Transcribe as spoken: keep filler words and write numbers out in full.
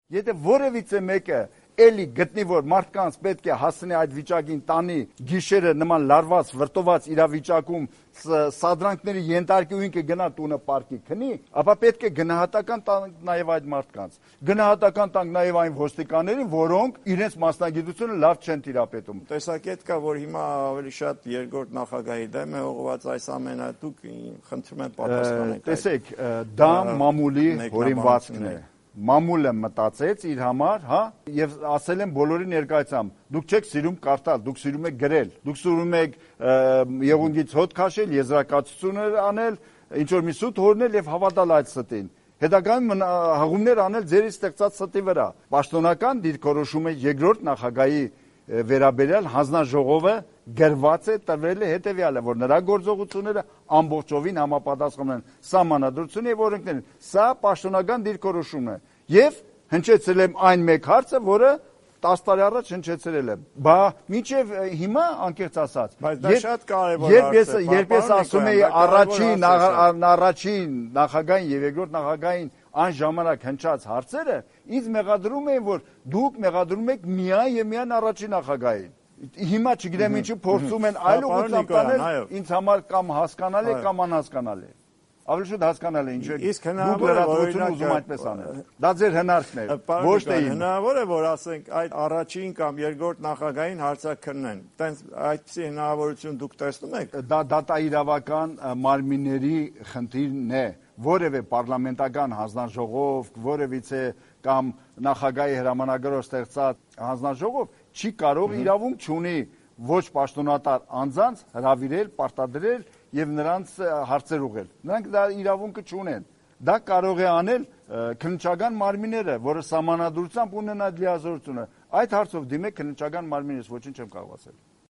Եթե որևիցե մեկը էլի գտնի, որ մարդկանց պետք է հասնի այդ վիճակին, տանի գիշերը նման լարված, վրտոված իրավիճակում սադրանքների ենթարկի ու ինքը գնա տունը պարկի քնի, ապա պետք է գնահատական տանք նաև այդ մարդկանց։ Գնահատական տանք նաև այն ոստիկաններին, որոնք իրենց մասնագիտությունը լավ չեն տիրապետում։ Տեսակետ կա, որ հիմա ավելի շատ երկրորդ նախագահի դեմ է ուղղված այս ամենը, դուք խնդրում եմ պատասխանեք։ Տեսեք, դա մամուլի հորինվածքն է։ Մամուլը մտածեց իր համար, հա, եւ ասել են բոլորի ներկայությամբ, դուք չեք սիրում կարդալ, դուք սիրում եք գրել, դուք սիրում եք եղունգից հոտ քաշել, եզրակացություններ անել, ինչ որ մի սուտ հորնել եւ հավատալ այդ ստին։ Հետագայում հղումներ անել ձեր ստեղծած ստի վրա։ Պաշտոնական դիրքորոշումը երկրորդ նախագահի վերաբերյալ հանձնաժողովը գրված է, տրվել է հետեւյալը, որ նրա գործողությունները ամբողջովին համապատասխանում են սահմանադրությունների եւ օրենքներին։ Սա պաշտոնական դիրքորոշում է եւ հնչեցրել եմ այն մեկ հարցը, որը տասը տարի առաջ հնչեցրել եմ։ Բա մինչեւ հիմա անկեղծ ասած, բայց դա շատ կարեւոր երբ ես երբ ես ասում եի առաջին առաջին նախագահային եւ երկրորդ նախագահային այն ժամանակ հնչած հարցերը, ինձ մեղադրում էին, որ դուք մեղադրում եք միայն եւ միայն առաջին նախագահային։ Հիմա չգիտեմ ինչու փորձում են այլ ուղղությամբ տանել, ինձ համար կամ հասկանալի է կամ անհասկանալի է։ Ավելի շուտ հասկանալի է ինչու է դուք լրատվությունը ուզում այդպես անել։ Դա ձեր հնարքն է, ոչ թե իմ։ Հնարավոր է, որ ասենք այդ առաջին կամ երկրորդ նախագահային հարցաքննեն։ Տենց այդպիսի հնարավորություն դուք տեսնում եք։ Դա դատաիրավական մարմինների խնդիրն է, որևէ պարլամենտական հանձնաժողով, որևիցե կամ նախագահի հրամանագրով ստեղծած հանձնաժողով չի կարող իրավունք չունի ոչ պաշտոնատար անձանց հրավիրել, պարտադրել եւ նրանց հարցեր ուղղել։ Նրանք դա իրավունքը չունեն։ Դա կարող է անել քննչական մարմինները, որը սահմանադրությամբ ունեն այդ լիազորությունը։ Այդ հարցով դիմեք քննչական մարմինից, ոչինչ չեմ կարող ասել։